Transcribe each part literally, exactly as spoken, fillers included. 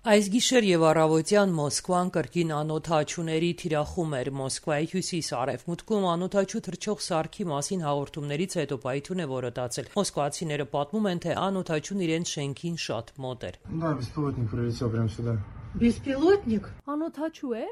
Այս գիշեր եւ առավոտյան Մոսկվան կրկին անօդաչուների թիրախում էր։ Մոսկվայի հյուսիս-արևմուտքում անօդաչու թռչող սարքի մասին հաղորդումներից հետո պայթյուն է որոտացել։ Մոսկվացիները պատմում են, թե անօդաչուն իրենց շենքին շատ մոտ էր։ Да, беспилотник прилетел прямо сюда. Беспилотник? Անօդաչու է։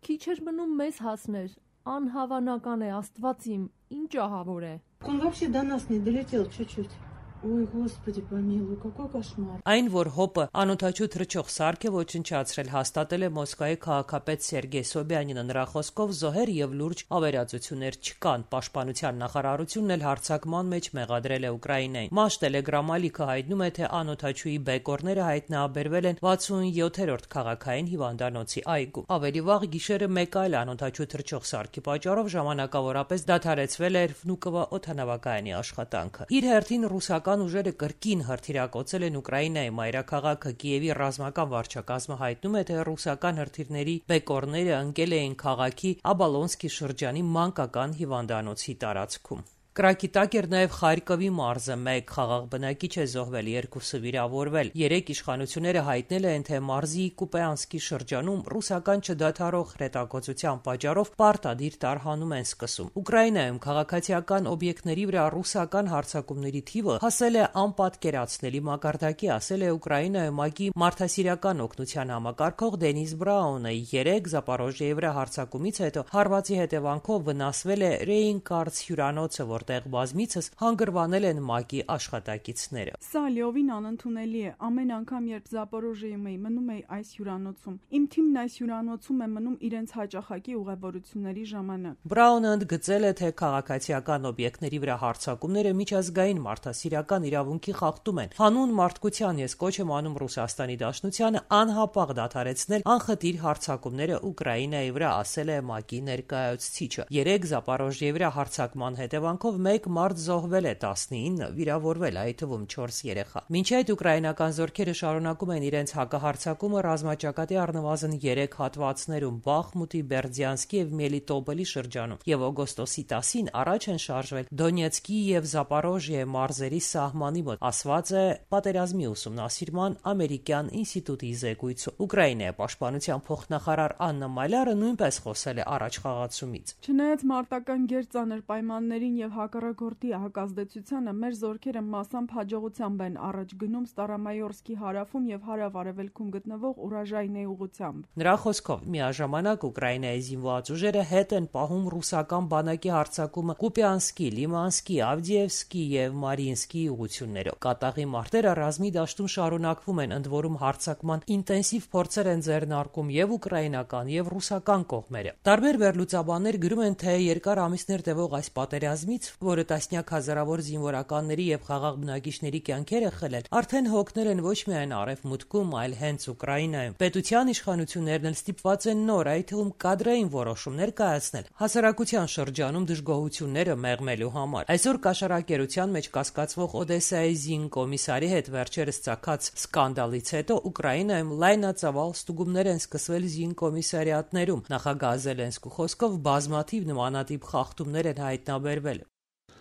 Քիչ էր մնում մեզ հասներ։ Անհավանական է, Աստված իմ, ինչ ահավոր է։ Он вообще до нас не долетел чуть-чуть. Ой, Господи, помилуй, какой кошмар. Այն, որ հոպը անօդաչու թռչող սարք է ոչնչացրել, հաստատել է Մոսկվայի քաղաքապետ Սերգեյ Սոբյանինը։ Նրա խոսքով զոհեր եւ լուրջ ավերածություններ չկան։ Պաշտպանության նախարարությունն էլ հարձակման մեջ մեղադրել է Ուկրաինային։ Մաշ Տելեգրամ ալիքը հայտնում է, թե անօդաչուի բեկորները հայտնաբերվել են վաթսունյոթերորդ քաղաքային հիվանդանոցի այգում։ Ավելի վաղ գիշերը մեկ այլ անօդաչու թռչող սարքի պատճառով ժամանակավորապես դադարեցվել էր Վնուկովո օդանավակայանի աշխատանքը։ Իր հերթին ռուսական ուժերը կրկին հրթիռակոծել են Ուկրաինայի մայրաքաղաքը։ Կիևի ռազմական վարչակազմը հայտնում է, թե ռուսական հրթիռների բեկորները ընկել էին քաղաքի Աբալոնսկի շրջանի մանկական հիվանդանոցի տարածքում։ Կրակի տակ էր նաև Խարկովի մարզը, մեկ խաղաղ բնակիչ է զոհվել, երկուսը վիրավորվել։ Երեք իշխանությունները հայտնել են, թե մարզի Կուպեանսկի շրջանում ռուսական չդադարող հրետակոծության պատճառով պարտադիր տարհանում են սկսում։ Ուկրաինայում քաղաքացիական օբյեկտների վրա ռուսական հարձակումների թիվը հասել է անպատկերացնելի մակարդակի, ասել է Ուկրաինայում ՄԱԿ-ի մարդասիրական օգնության համակարգող Դենիս Բրաունը։ Երեք Զապորոժիեի վրա հարձակումից հետո հարվածի հետևանքով վնասվել է Ռեյնկարց հյուրանոցը, որտեղ բազմիցս հանգրվանել են ՄԱԿ-ի աշխատակիցները։ Սա լիովին անընդունելի է։ Ամեն անգամ, երբ Զապորոժիեում էի, մնում էի այս հյուրանոցում։ Իմ թիմն այս հյուրանոցում է մնում իրենց հաճախակի ուղևորությունների ժամանակ։ Բրաունը ընդգծել է, թե քաղաքացիական օբյեկտների վրա հարձակումները միջազգային մարդասիրական իրավունքի խախտում են։ Հանուն մարդկության ես կոչ եմ անում Ռուսաստանի Դաշնությանը անհապաղ դադարեցնել անխտիր հարձակումները Ուկրաինայի վրա, ասել է ՄԱԿ-ի ներկայացուցիչը։ Երեք Զապորոժիեի վրա հարձակման հետևանքով մեկ մարդ զոհվել է, տասնինը վիրավորվել, այդ թվում չորս երեխա։ Մինչ այդ ուկրաինական զորքերը շարունակում են իրենց հակահարձակումը ռազմաճակատի առնվազն երեք հատվածներում՝ Բախմուտի, Բերդյանսկի եւ Մելիտոպոլի շրջանում, եւ օգոստոսի տասին առաջ են շարժվել Դոնեցկի եւ Զապորոժիե մարզերի սահմանի մոտ, ասված է Պատերազմի ուսումնասիրման ամերիկյան ինստիտուտի զեկույցում։ Ուկրաինայի պաշտպանության փոխնախարար Աննա Մալյարը նույնպես խոսել է առաջխաղացումից։ Չնայած մարտական գերծանր պայմաններին եւ հակառակորդի հակազդեցությանը, մեր զորքերը մասամբ հաջողությամբ են առաջ գնում Ստարամայորսկի հարավում եւ հարավ-արևելքում գտնվող Ուրաժայնեի ուղղությամբ։ Նրա խոսքով միաժամանակ Ուկրաինայի զինված ուժերը հետ են պահում ռուսական բանակի հարձակումը Կուպյանսկի, Լիմանսկի, Ավդիևսկի եւ Մարինսկի ուղղություններով։ Կատաղի մարտերը ռազմի դաշտում շարունակվում են, ընդ որում հարձակման ինտենսիվ փորձեր են ձեռնարկում եւ ուկրաինական եւ ռուսական կողմերը։ Տարբեր վերլուծաբաններ գրում են, թե երկար ամիսներ տևող այս պատերազմից, որը տասնյակ հազարավոր զինվորականների եւ խաղաղ բնակիչների կյանքեր է խլել, արդեն հոգնել են ոչ միայն արևմուտքում, այլ հենց Ուկրաինայում։ Պետության իշխանություններն էլ ստիպված են նոր, այդ թվում կադրային որոշումներ կայացնել հասարակության շրջանում դժգոհությունները մեղմելու համար։ Այսօր կաշառակերության մեջ կասկածվող Օդեսայի զինկոմիսարի հետ վերջերս ծագած սկանդալից հետո Ուկրաինայում լայնածավալ ստուգումներ են սկսվել զինկոմիսարիատներում։ Նախագահ Զելենսկու խոսքով բազմաթիվ նմանատիպ խախտումներ են հայտնաբերվել։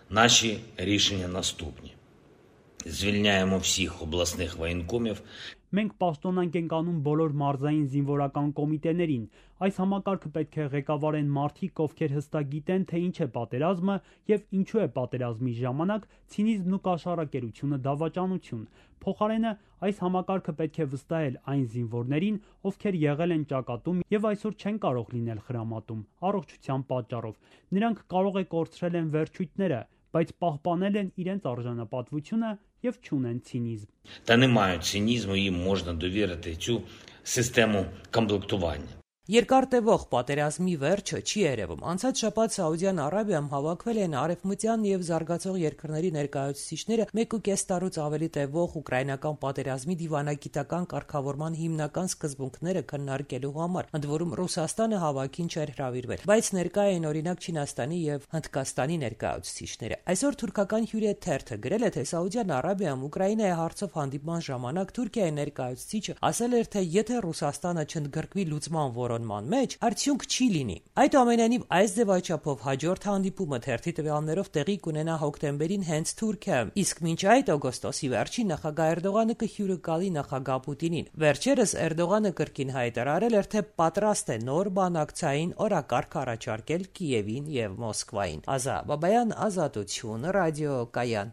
Наші рішення наступні. Звільняємо всіх обласних воєнкомів. Մենք պաշտոնանք ենք անում բոլոր մարզային զինվորական կոմիտեներին։ Այս համակարգը պետք է ղեկավարեն մարդիկ, ովքեր հստակ գիտեն, թե ինչ է պատերազմը եւ ինչու է պատերազմի ժամանակ ցինիզմն ու կաշառակերությունը դավաճանություն։ Փոխարենը այս համակարգը պետք է վստահել այն զինվորներին, ովքեր եղել են ճակատում եւ այսօր չեն կարող լինել խրամատում առողջության պատճառով։ Նրանք կարող է կորցրել են վերջույթները, բայց պահպանել են իրենց արժանապատվությունը եւ չունեն ցինիզմ։ Та не мають цинізму, їм можна довірити цю систему комплектування. Երկար տևող պատերազմի վերջը չի երևում։ Անցած շաբաթ Սաուդյան Արաբիայում հավաքվել են արևմտյան եւ զարգացող երկրների ներկայացուցիչները մեկ ու կես տարուց ավելի տևող ուկրաինական պատերազմի դիվանագիտական կարգավորման հիմնական սկզբունքները քննարկելու համար, ընդ որում Ռուսաստանը հավաքին չէր հրավիրվել, բայց ներկա էին օրինակ Չինաստանի եւ Հնդկաստանի ներկայացուցիչները։ Այսօր թուրքական Հյուրիետ թերթը գրել է, թե Սաուդյան Արաբիայում Ուկրաինայի հարցով հանդիպման ժամանակ Թուրքիայի ներկայացուցիչը ասել էր, թե եթե Ռուսաստանը չընդգրկվի լուծման որոշ կենտրոնման մեջ, արդյունք չի լինի։ Այդուամենայնիվ, այս ձևաչափով հաջորդ հանդիպումը թերթի տվյալներով տեղի կունենա հոկտեմբերին հենց Թուրքիայում, իսկ մինչ այդ օգոստոսի վերջին նախագահ Էրդողանը կհյուրը գալի նախագահ Պուտինին։ Վերջերս Էրդողանը կրկին հայտարարել էր, թե պատրաստ է նոր բանակցային օրակարգ առաջարկել Կիևին եւ Մոսկվային։ Ազա Բաբայան, Ազատություն, ռադիոկայան։